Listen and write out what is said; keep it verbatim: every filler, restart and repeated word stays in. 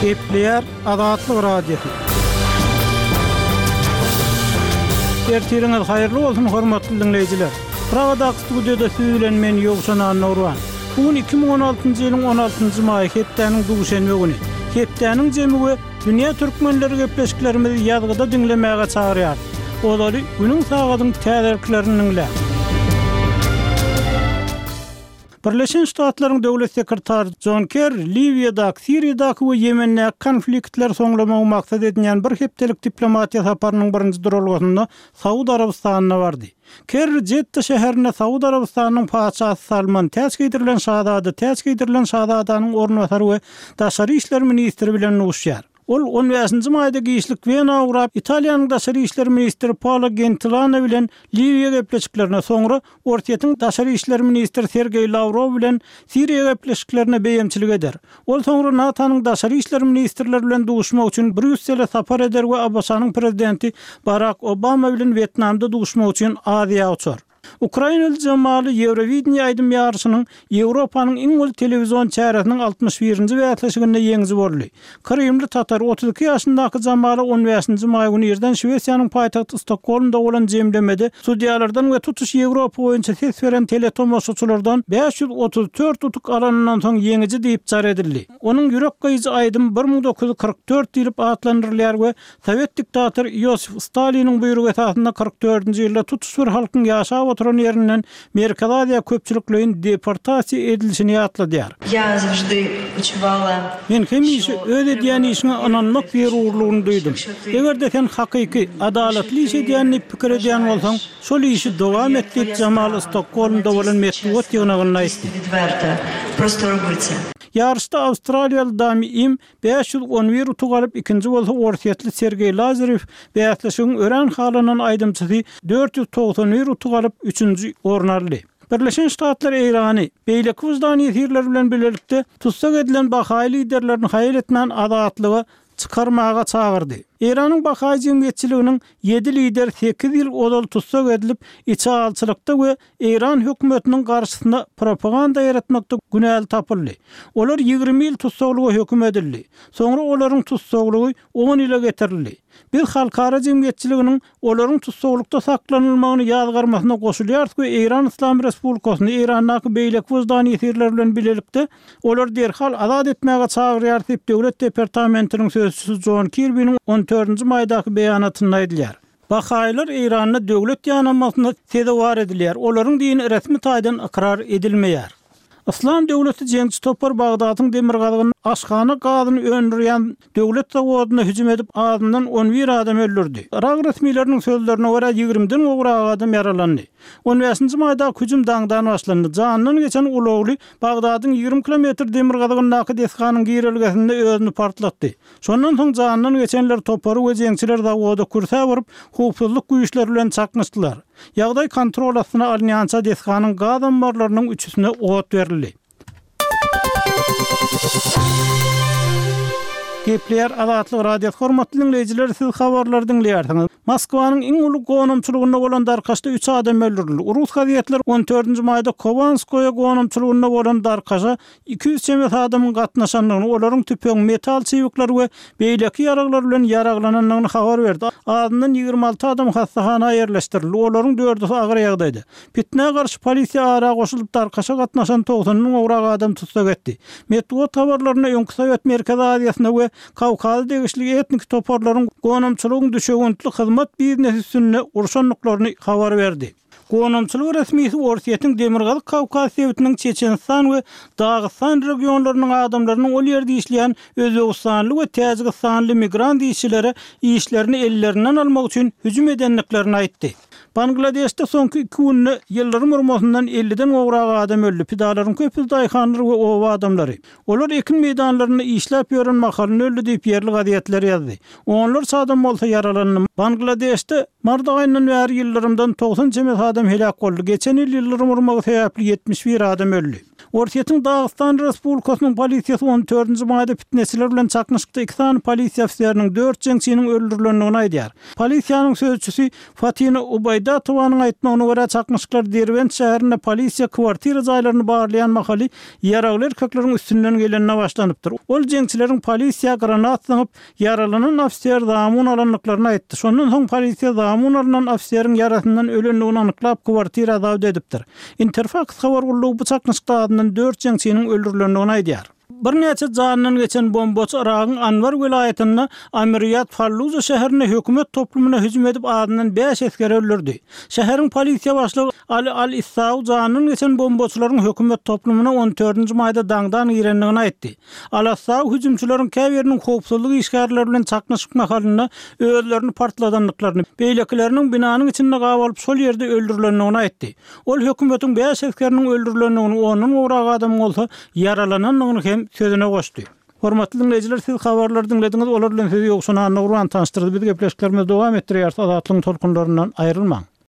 Gepleýär Azatlyk Radiosy. Ertiriňiz haýyrly bolsun, hormatly diňleýjiler. Pragadaky studiýada siz bilen men Ýowşan Annagurban. Bu gün iki müň on altynjy ýylyň on altynjy maýy hepdäniň duşenbe güni. Hepdäniň jemi we dünýä türkmenleri gepleşiklerimizi ýazgyda diňlemäge çagyrýar. Ozaly günüň sagadyň täzeliklerini diňläň. Birleşen Ştatlaryň döwlet sekretary John Kerry Liwiýadaky, Siriýadaky we Ýemendäki konfliktleri soňlamagy maksat edinýän bir hepdelik diplomatiýa saparynyň birinji duralgasynda Saud Arabystanyna bardy. Kerry Jeddah şäherinde Saud Arabystanynyň patyşasy Salman täç geýdirilen şazada, täç geýdirilen şazadanyň orunbasary we daşary işler ministri bilen duşýar. Ol on bäşinji maýda giçlik Wena ugrap, Italiýanyň daşary işler ministri Paolo Gentiloni bilen Liwiýa gepleşiklerine, soňra Orsýetiň daşary işler ministri Sergeý Lawrow bilen Siriýa gepleşiklerine beýemçilik eder. Ol soňra NATO-nyň daşary işler ministrleri bilen duşmak üçin Brýussele sapar eder we A B Ş-nyň prezidenti Barak Obama bilen Wýetnamda duşmak üçin Aziýa uçar. Ukrainaly Jamaly Eurovision aýdym ýaryşynyň Ýewropanyň iň uly telewizion çäresiniň altmyş birinji bäsleşiginde ýeňiji boldy. Krymly tatar otuz iki ýaşyndaky Jamaly on bäşinji maý güni irden Şwesiýanyň paýtagty Stokgolmda bolan jemlemede sudýalardan we tutuş Ýewropa boýunça ses beren teletomaşaçylardan bäş ýüz otuz dört utuk alanyndan soň ýeňiji diýip jar edildi. Onuň ýürek gyýyjy aýdym bir müň dokuz ýüz kyrk dört diýlip atlandyrylýar we Sowet diktatory Iosif Staliniň buýrugy esasynda kyrk dördünji ýylda tutuş bir halkyň ýaşap oturan ýerinden Merkezi Aziýa köpçülikleýin deportasiýa edilişini ýatladýar. Я завжди почувала, Men hemişe öz edýän işiňe ynanmak zerurlygyny duýdum. Eger-de sen hakyky, adalatly iş edýän diýip pikir edýän bolsaň, şol işi dowam et diýip Jamaly Stokgolmda bolan metbugat ýygnagynda aýtdy. Просто робити. Ýaryşda Awstraliýaly Dami Im bäş ýüz on bir utuk alyp, ikinji bolsa Orsýetli Sergeý Lazarew bäsleşigiň örän halanan aýdymçysy dört ýüz togsan bir utuk alyp, üçünji orun aldy. Birleşen Ştatlar Eýrany beýleki wyždan ýesirleri bilen birlikde tutsak edilen Bahaý liderlerini haýal etmän azatlyga çykarmaga çagyrdy. Eýranyň Bahaý jemgyýetçiliginiň ýedi lider sekiz ýyl ozal tutsak edilip, içi alçylykda we Eýran hökümetiniň garşysyna propaganda ýaratmakda günäli tapyldy. Olar ýigrimi ýyl tutsaklyga höküm edildi. Soňra olaryň tutsaklygy on ýyla getirildi. Biz halkara jemgyýetçiliginiň olaryň tutsaklykda saklanylmagyny ýazgarmasyna goşulýarys we Eýran Islam Respublikasyny Eýrandaky beýleki wyždan ýesirleri bilen birlikde olar derhal azat etmäge çagyrýar diýip Döwlet departamentiniň sözçüsi John Kirby'niň on dördünji maýdaky beýanatynda aýdylýar. Bahaýlar Eýranda döwlet ýanamasyna sezewar edilýär. Olaryň dini resmi taýdan ykrar edilmeýär. Islam döwleti jeňçi topar Bagdadyň demirgazygyny aşhana gazyny öndürýän döwlet zawodyna hüjüm edip azyndan on bir adam öldürdi. Irak resmileriniň sözlerine görä ýigrimiden gowrak adam ýaralandy. On bäşinji maýda hüjüm daňdan başlandy. Jandan geçen ulagly Bagdadyň ýigrimi kilometr demirgazygyndaky desganyň girelgesinde özüni partlatdy. Şondan soň jandan geçenler topary we jeňçiler zawoda kürsä baryp, howpsuzlyk güýçleri bilen çaknyşdylar. Ýagdaý kontrol astyna alynýança desganyň gaz ammarlarynyň üçüsine ot berildi. Gepleýär Azatlyk Radiosy hormatly dinleýjiler, siz habarlary diňleýärsiňiz. Moskwanyň iň uly gonamçylygynda bolan darkaşda üç adam öldürildi. Rus gazetleri on dördünji maýda Kovanskoýa gonamçylygynda bolan darkaşa iki ýüz çemesi adamyň gatnaşandygyny, olaryň tüpeň, metal çybyklary we beýleki ýaraglar bilen ýaraglanandygyny habar berdi. Azyndan ýigrimi alty adam hassahana ýerleşdirildi. Olaryň dördüsi agyr ýagdaýda. Fitnä garşy polisiýa ara goşulyp darkaşa gatnaşan togsan müň gowrak adam tutsak etdi. Metbugat habarlarynda öňki Sowet Merkezi Aziýasyna we Kawkaza degişli etnik toparlaryň gonamçylygyň düşewüntli hyzmat biznesi üstünde urşandyklaryny habar berdi. Gonamçylyk resmisi Orsýetiň Demirgazyk Kawkaz sebitiniň Çeçenistan we Dagystan regionlarynyň adamlarynyň ol ýerde işleýän Özbegistanly we Täjigistanly migrant işçilere işlerini ellerinden almak üçin hüjüm edendiklerini aýtdy. Bangladeşde soňky iki günde ýyldyrym urmasyndan elliden gowrak adam öldü. Pidalaryň köpüsi daýhanlar we oba adamlary. Olar ekin meýdanlarynda işläp ýören mahalyny öldü diýip ýerli gazetler ýazdy. Onlarça adam bolsa ýaralandy. Bangladeşde mart aýyndan bäri ýyldyrymdan togsan çemesi adam helak boldy. Geçen ýyl ýyldyrym urmagy sebäpli ýetmiş bir adam öldü. Orsýetiň Dagystan Respublikasynyň polisiýasy on dördünji maýda pitneçiler bilen çaknyşykda iki sany polisiýa ofiseriniň, dört jeňçiniň öldürilendigini aýdýar. Polisiýanyň sözçüsi Fatina Ubaýdatowanyň aýtmagyna görä, çaknyşyklar Derbent şäherinde polisiýa kwartira jaýlaryny barlaýan mahaly ýaragly erkekleriň üstünden gelende başlanypdyr. Ol jeňçileriň polisiýa granat zyňyp, ýaralanan ofiser zamun alandyklaryny aýtdy. Şondan soň polisiýa zamun alnan ofiseriň ýarasyndan ölendigini anyklap, kwartira zabt edipdir. Interfaks habar gullugy bu çaknyşykda azyndan dört jeňçiniň öldürilendigini aýdýar. Birnäçe janyndan geçen bombaçy Yragyň Anbar welaýatynda Amiriýat Falluja şäherinde hökümet toplumyna hüjüm edip azyndan bäş esgeri öldürdi. Şäheriň polisiýa başlygy Ali Al-Issaw janyndan geçen bombaçylaryň hökümet toplumyna on dördünji maýda daňdan girendigini aýtdy. Al-Assaw hüjümçileriň käbiriniň howpsuzlyk işgärleri bilen çaknyşyk mahalynda özlerini partladandyklaryny, beýlekileriniň binanyň içinde gabalyp şol ýerde öldürilendigini aýtdy. Ol hökümetiň bäş esgeriniň öldürilendigini, ondan gowrak adamyň bolsa ýaralanandygyny hem sözüne goşdy. Hormatly diňleýjiler, siz habarlary diňlediňiz, olar bilen sizi Ýowşan Annagurban tanyşdyrdy. Biz gepleşiklerimizi dowam etdirýäris, Azatlygyň tolkunlaryndan aýrylmaň.